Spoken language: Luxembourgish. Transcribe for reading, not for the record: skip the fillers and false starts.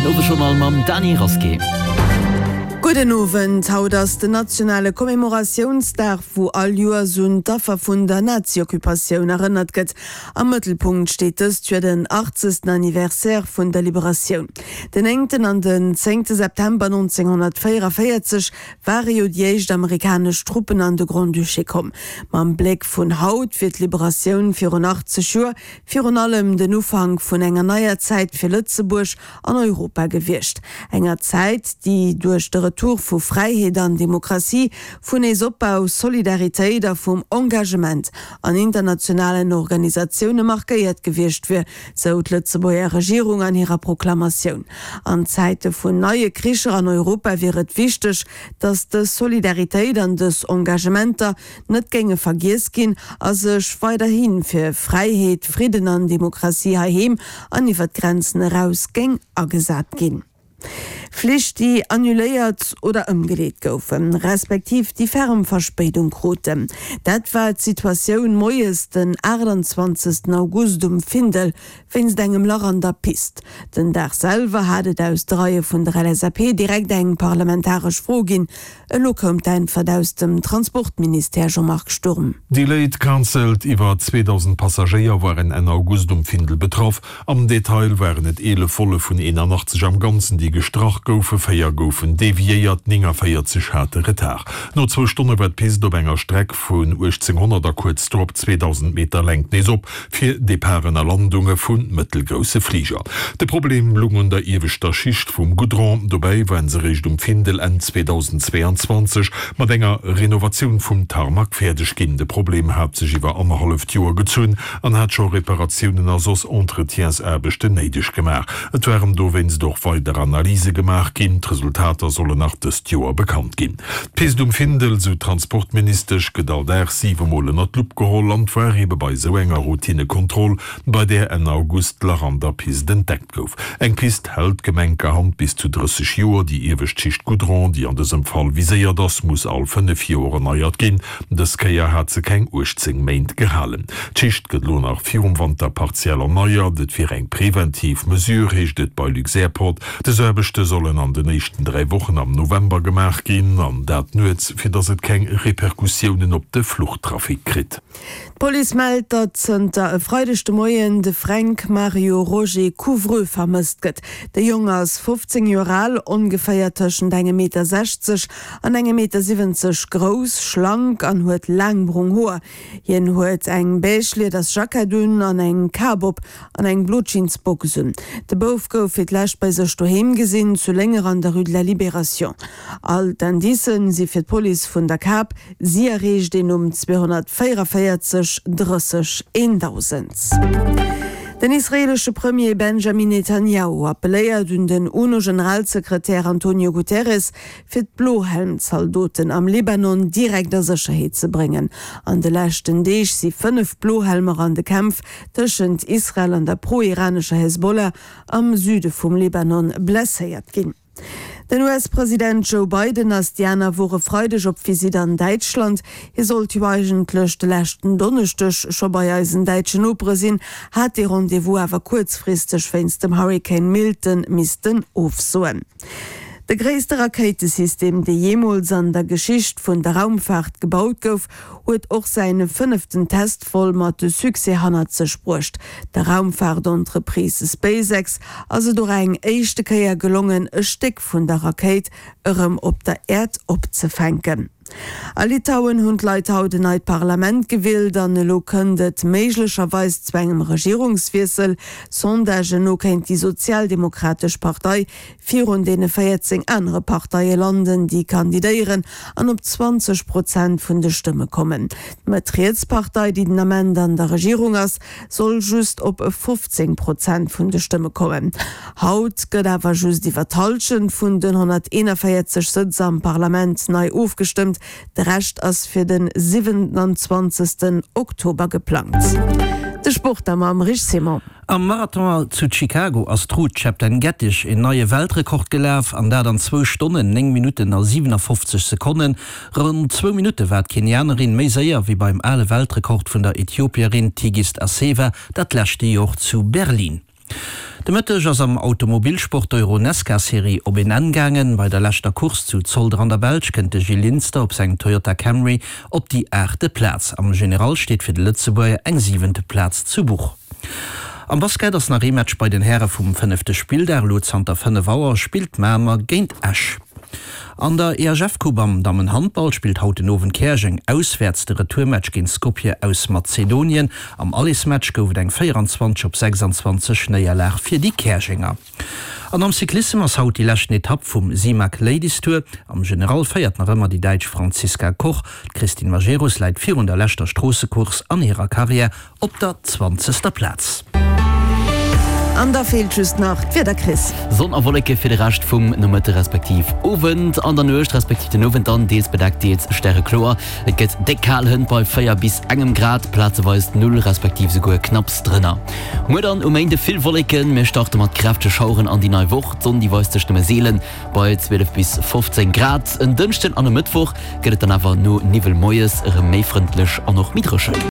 Den Owesjournal mam Dany Rasqué. Gudden Owend. Haut ass den nationale Commemoratiounsdag, wou all Joers un d'Affer vun der Nazi-Occupatioun erënnert gëtt. Am Mëttelpunkt steet dëst Joer den 80. Anniversaire vun der Liberatioun. Den néngten an den zéngte September 1944 ware jo déi éischt amerikanesch Truppen an de Grand-Duché komm. Mam Bléck vun haut wier d'Liberatioun virun 80 Joer virun allem den Ufank vun enger neier Zäit fir Lëtzebuerg an Europa gewiescht. Enger Zäit, déi duerch de Retour vu Fräiheet an Demokratie, vun Neesopbau, Solidaritéit a vum Engagement an internationalen Organisatioune markéiert gewiescht wier, sou d'Lëtzebuerger Regierung an hirer Proklamatioun. An Zäite vun neie Kricher an Europa wier et wichteg, datt dës Solidaritéit an dës Engagementer net géinge vergiess ginn a sech weiderhi fir Fräiheet, Fridden an Demokratie heiheem an iwwer d'Grenzen eraus géing agesat ginn. Flich, déi annuléiert oder ëmgeleet goufen, respektiv déi ferm Verspéidung kruten. Dat war d'Situatioun moies den 28 August um Findel wéinst engem Lach an der Pist. Den Dag selwer hat et aus de Reie vun der LSAP direkt eng parlamentaresch Fro ginn. Elo koum d'Äntwert aus dem Transportministère, Jean-Marc Sturm. Delayed, cancelled, Iwwer 2.000 Passagéier waren Enn August um Findel betraff. Am Detail waren et 11 Volle vun 81 am Ganzen, déi gestrach goufen, 4 goufen deviéiert, 49 hate Retard. No zwou Stonne war d'Pist op enger Streck vun 1800 a kuerz drop 2.000 Meter Längt nees op fir Departen a Landunge vu mëttelgrousse Fliger. De Problem lung un der ieweschter Schicht vum Goudron. Dobäi waren se réischt um Findel Enn 2022 mat enger Renovatioun vum Tarmac fäerdeg ginn. De Problem hat sech iwwer annerhalleft Joer gezunn an hat scho Reparatiounen a soss Entretiensaarbechten néideg gemaach. Et waren dowéinst och weider Analyse gemaach ginn. D'Resultater sollen nach dëst Joer bekannt ginn. D'Pist um Findel, sou d'Transportministesch, gëtt all Dag siwe Mol ënner d'Lupp geholl an 't war ebe bei esou enger Routinekontroll, bei där Enn August d'Lach an der Pist entdeckt gouf. Eng Pist hält gemenkerhand bis zu 30 Joer. Déi iewescht Schicht Goudron, déi an dësem Fall viséiert ass, muss all 5 Joer erneiert ginn. Dës Kéier hat se keng 18 Méint gehalen. D'Schicht gëtt elo nach virum Wanter partiell erneiert. Et wier eng preventiv Mesure, heescht et bei Luxairport. Dës Aarbechte sollen an den éischten 3 Wochen am November gemaach ginn, an dat nuets, fir datt et keng Repercussiounen op de Fluchtrafic kritt. D'Police mellt, datt zënter e Freideg de Moien de Fränk Mario Roger Couvreux vermësst gëtt. De Jong ass 15 Joer al, ongeféier tëschent engem Meter 60 an engem Meter 70 grouss, schlank an huet laang brong Hoer. Hien huet eng beige lieders Jackett un an eng Kap op an eng blo Jeansbox un. De Bouf gouf fir d'lescht bei sech doheem gesinn, zu Lénger an der Rue de la Libération. All d'Indicen si fir d'Police vun der Kap. Si erreecht een um 244 30 1000. Den israeelesche Premier Benjamin Netanjahu appelléiert un den UNO-Generalsekretär Antonio Guterres, fir d'Blohelm-Zaldoten am Libanon direkt a Sécherheet ze bréngen. An de leschten Deeg si 5 Blohelmer an de Kämpf tëschent Israel an der pro-iranescher Hezbollah am Süde vum Libanon blesséiert ginn. Den US-President Joe Biden ass déi aner Woch e Freideg op Visitt an Däitschland. Hie sollt jo eigentlech de leschten Donneschdeg scho bei eisen däitschen Nopere sinn, hat dee Rendez-vous awer kuerzfristeg wéinst dem Hurrikan Milton missten ofsoen. De gréisste Rakéitesystem, dee jeemools an der Geschicht vun der Raumfaart gebaut gouf, huet och säin fënneften Testvol mat Succès hannert sech bruecht. Der Raumfaartentreprise SpaceX ass et och eng éischte Kéier gelongen, e Stéck vun der Rakéit erëm op der Äerd opzefänken. A Litauen hunn d'Leit haut en neit Parlament gewielt an elo kënnt et méiglecherweis zu engem Regierungswiessel. Sondagen no kéint déi sozialdemokratesch Partei virun deene 14 anere Parteie landen, déi kandidéieren an op 20 Prozent vun de Stëmme kommen. D'Mëtt-Riets-Partei, déi den Ament an der Regierung ass, soll just op 15 Prozent vun de Stëmme kommen. Haut gëtt awer just iwwer d'Hallschent vun den 141 Sëtz am Parlament nei ofgestëmmt. De Rescht ass fir de 27 Oktober geplangt. De Sport da mam Rich Simon. Am Marathon zu Chicago ass d'Ruth Chepngetich een neie Weltrekord gelaf, an dat an zwou Stonnen, 9 Minutten a 57 Sekonnen. Ronn zwou Minutte war d'Kenianerin méi séier wéi beim ale Weltrekord vun der Ethiopierin Tigist Assefa dat leschte Jor zu Berlin. De Mëtteg ass am Automobilsport d'Euro-Nesca-Serie op een Enn gaangen. Bei der leschter Course zu Zolder an der Belsch kënnt de Gil Linster op sengem Toyota Camry op déi aachte Plaz. Am General steet fir de Lëtzebuerger eng siwente Plaz zu Buch. Am Basket ass nach ee Match bei den Häre vum fënnefte Spilldag. Elo zanter 5 Auer spillt Mamer géint Esch. An der EHF-Coupe am Dammenhandball spillt haut den Owend Käerjeng auswäerts de Retourmatch géint Skopje aus Mazedonien. Am Allesmatch gouf et eng 24 op 26 Néierlag fir déi Käerjenger. An am Cyclissem ass haut déi leschten Etapp vum Simac Ladies Tour. Am General féiert nach ëmmer déi Däitsch Franziska Koch. D'Christine Majerus läit virun der leschter Stroossecourse an hirer Karriär Op der zwanzegster Plaz. An da feelt just nach d'Wieder, Chris. Sonn a Wolleke fir de Rescht vum Nomëtte respektiv Owend. An der Nuecht respektiv den Owend dann deels bedeckt, deels stärekloer. Et gëtt déck kal, hënt bei 4 bis engem Grad, plazeweis null respektiv esouguer knapps drënner. Muer dann um Méinde vill Wolleken, mir starte mat kräftege Schaueren an déi nei Woch. D'Sonn déi weist sech nëmme seelen bei 12 bis 15 Grad. En Dënschden an e Mëttwoch gëtt et dann awer no Niwwel moies erëm méi frëndlech an och méi dréchen.